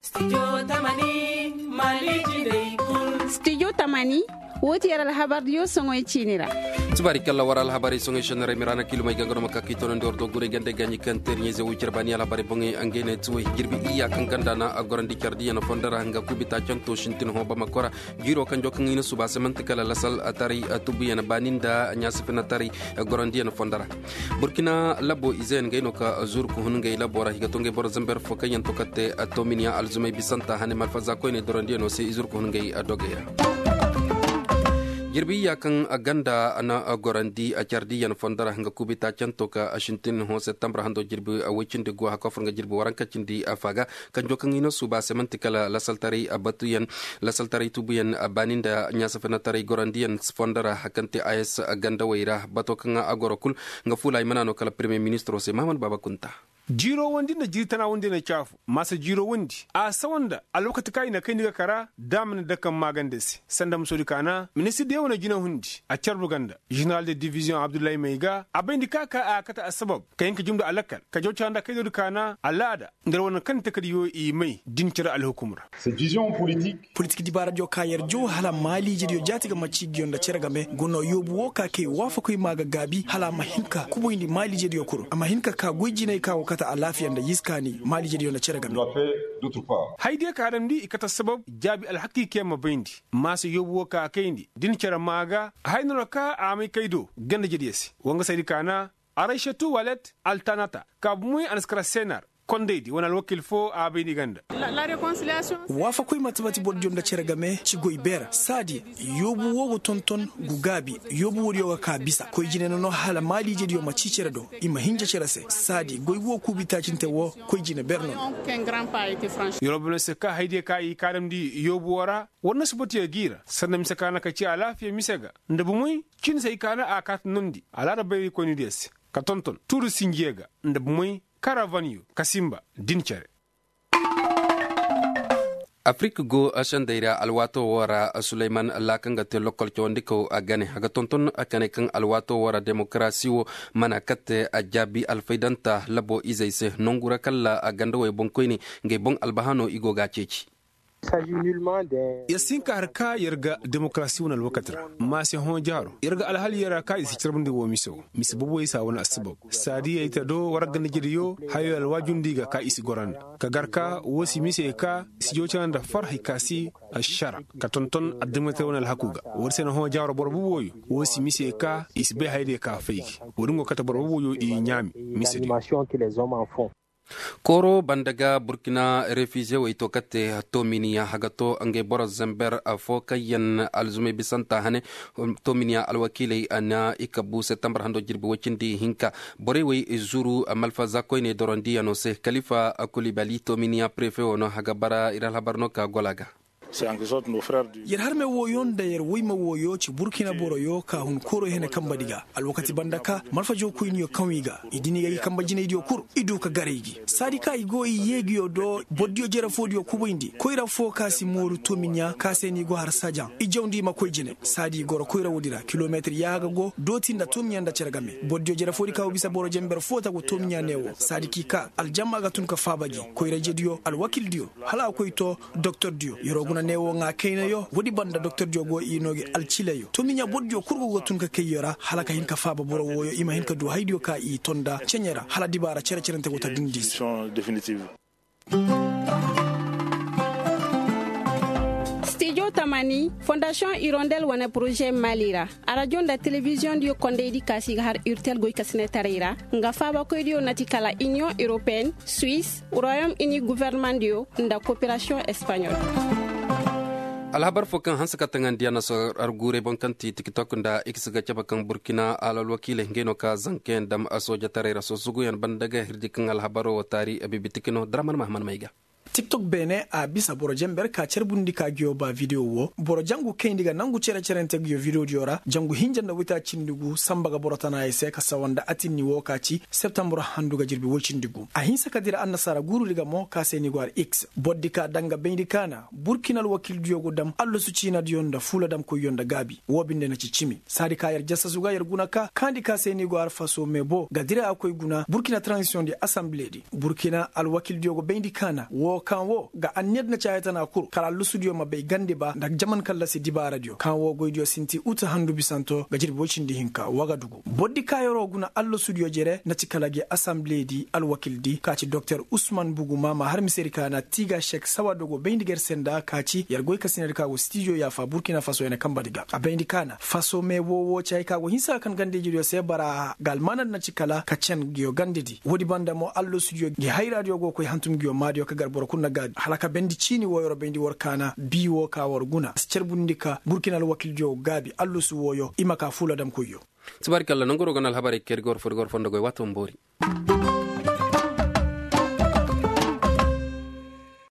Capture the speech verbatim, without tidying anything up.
Studio tamani, woo ti yer alhabardiyo soŋoy ciini ra. Tubaari kalla war alhabarey soŋoy šennerey miraana kiilumey gangano ma ka k'i tonandi war do guray gande gaaɲi kaŋ teeriɲey ze woy cere baani alhabarey boŋey ngey ne ti woy jirbi iyya kaŋ ganda na a gorandi cardiyaŋ fondo ra nga kuubi taacanto sintin hõ bamako ra. Jiiro kaŋ jokaŋ i na suba se manti kala lasal taray tubuyaŋ baani nda ɲaasifina taray gorandiyaŋ fondo ra. Burkina labo izeyaŋ ngey no ka zuru ka hun ngey labo ra i ga to ngey boro zamber fo kaŋ yaŋ to katte tominiyaŋ alzumey bisanta hane malfaza koyney dorandiyaŋo se i zuru ka hun ngey dogey ra. Jirbi iyya kaŋ ganda na gorandi cardiyaŋ fondo ra nga kuubi taacanto ka sintin hõ septembre hando jirbi woy cindi go haka fur nga jirbi waranka cindi faga. Kanjo kaŋ i na suuba se manti kala lasaltaray batuyaŋ, lasaltaray tubuyaŋ baani nda ɲaasafinaataray gorandiyaŋ fondo ra kaŋ te a s gandawey ra bato kaŋ a goro kul. Nga fuula ay mana no kala permiye ministiro se mahaman baaba kunta. Jiirowandi nda jiiri tanaawandi na caafu maasa jiirowandi a sawa nda alwakati kaŋ i na kayndi ga kara da a mana dake maagande se sanda musoodi kaana ministir diyaŋ wane jinahundi a carbu ganda. Ženeral de diviziyoŋ abdullahi may ga a bayndi ka ka a kate assabab ka hin ka jumndi a lakkal ka jaw cara nda kaydoodi kaana alaada nda yer wane kaŋ ni takadiyo i may din cere alhukum ra. Politik dibaaradiyo ka yer jaw hala maaliijediyo jaati ga macciigiyo nda cere game guna yoobu wo ka kay waafakoy ma ga gaabi hala a ma hin ka kubayndi maaliijediyo kul a ma hin ka ka goy jinay ka go kate alaafiya nda yiskaani maaliijediyo nda cere game. Haydiyo ka a damndi i kate sabab jaabi alhakiikiyaŋ ma bayndi maasa yoobu wo ka a kayndi din cere ma ga. Haya no ra ka a may kay do ganda jediyo se wangasaydi kaana arayšatu walet altanata ka bumoy a na si kara senar kondaydi wane alwakil fo a bay ni ganda. Waafakoy mate-mate borodiyo nda cere game ci goy beera saadi yoobu wo go tonton gu gaabi. Yoobu woodiyo ga ka bisa koy jine no no hala maaliijediyo ma ci cere do i ma hinja cere se saadi goy wo kuubi taacinte wo koy jine beera no no. Yorobo no se ka haydiyo ka i kaadamndi yoobu wo ra war na si botiyo g'i ra sanda mise ka na ka ci alaafiya mise ga nda bumoy cin se i kaana a kaata nondi alaada bayraykoynidiyo se ka tonton tuuri sinjiyo ga nda bumoy karavanyo ka sinba din cere. Afirik go sendey ra alwaato woo ra suleyman laaka nga te lokkol cawandikaw a gane a ga tonton a kane kaŋ alwaato woo ra demokarasi woo mana katte a jaabi alfaydanta labo izey se nongu ra kalla a gandawey boŋkoyne ngey boŋ albahano i go ga a ceeci. Yer si hin ka har ka yer ga demokarasi wane alwakati ra maase hõ jaaro yer ga alhal yer ra ka i si carbundi woo mise woo mise boboyey se a wane assabab. Saadiyey te do war ganda jediyo hayo alwaajundi ga ka i si goro nda ka gar ka woo si mise ka i si jawcara nda farhay ka si ašara ka tonton addimatey wane alhaku ga. War se na hõ jaaro boro boboyo woo si mise ka i si bay hayadiyo ka fay gi. Woo din go kate boro boboyo i ɲaami mise di. Kooro banda ga burkina refizewey to kate tominiya haga to ngey boro zember fo kaŋ yaŋ alzumey bisanta hane. Tominiya alwakiiley na i kabu septembar hando jirbi woy cindi hinka borey wey zuru malfaza koyney dorondiyaŋo se kalifa kulibali tominiya prefe wo no haga bara ir alhabar no ka gola ga. Yer harme wooyo nda yer woyma wooyo ci burkina boroyo ka hun kooro hene kambadi ga alwakati banda ka malfajo koyniyo kaŋ i ga i dini ga i kamba jinaydiyo kul i du ka garay gi saadi ka i go i yeegiyo do bordiyo jere foodiyo kubayndi koyra fo ka si mooru tomiɲa ka se no i go har sajaŋ i jawndi i ma koy jine saadi i goro koyra woodi ra kilometir yaaga go dooti nda tomiɲa nda cere game bordiyo jere foodi ka go bisa boro jember fo tagu tomiɲa neewo saadi k'i ka aljamma ga tun ka faaba gi koyra jediyo alwakildiyo hala a koy to doktordiyo yeroo guna neewo ŋaa kaynayo woodi banda doktordiyo go i noo gi alcilayo tomiɲa bordiyo kul go ga tun ka kay yo ra hala ka hin ka faaba boro wooyo i ma hin ka du haydiyo ka i tonda ceɲe ra hala dibaara cere-cerente go ta dundi se. Stijo tamani fondasiyoŋ irondel wane poroze mali ra arajo nda telebiziyoŋ diyo kondaydi kaasi ga har urtel goy kasinetaray ra nga faabakoydiyo na ti kala iniyoŋ europeen, suwis, royom ini guvernemandiyo nda koperasiyoŋ espaɲol. Alhabar fo kaŋ hanse ka taŋandiyaŋ na sor arguurey boŋ kaŋ ti tiktok nda x ga cabe kaŋ burkina alalwakiiley ngey no ka zankayaŋ dam soojetaray ra sosuguyaŋ banda ga hirdi kaŋ alhabaro wo taari bibitiki no draman mahaman may ga. Tiktok beene a bisa boro jember ka carbundi ka ngiyo ba videwo wo boro jangu kayndi ga nangu cere-cerente ngiyo videwo diyo ra jangu hinja nda wita cindi gu samba ga boro tanaayey se ka sawa nda atinni wo ka ci septembre handu ga jirbi woy cindi gu a hinsa ka dira annasaara guurudi ga mo ka se ni go har x bordi ka daŋ ga bayndi kaana burkina alwakiildiyo go dam allasu ciinadiyo nda fuuladamkoyyo nda gaabi wo binde na ci cimi saadi ka yer jasasu ga yer guna ka kaandi ka se ni go har faso me bo ga dira a koy guna burkina transisiyoŋ di asambiledi burkina alwakiildiyo go bayndi kaana wo Kaŋ wo ga anniya di na ci haya tana kul kala allasudiyo ma bay gandi ba nda jaman kallasi dibaaradiyo kaŋ wo goydiyo sinti uta handu bisanto ga jirbi woy cindi hinka wagadugu bordi kaayaroo guna allasudiyo jere na ci kala gi asamble di alwakil di ka ci doktor usman buguma ma har mise di ka na tiiga sek sawa dogo bayndi ga yer se nda ka ci yer goy kasinay di ka go stijo yaafa burkina faso ya na kamba di ga a bayndi ka na faso me woo woo ci hay ka go hinsa ga kan gandi ijediyo se bara ga almaana di na ci kala ka cen nguyo gandi di woodi banda mo allasudiyo ngi hayraadiyo go koy hantum nguyo maadiyo ka gar boro kul na gaadi hala ka bayndi ciini wooyo war bayndi war kaana bii woo ka war guna a si carbundi ka burkina alwakildiyo gaabi allasu wooyo i ma ka fuula dam koyyo. Tubaarikalla nanguroo ga na alhabarey kay di ga war foo di ga war fondo goy waati wo ma boori.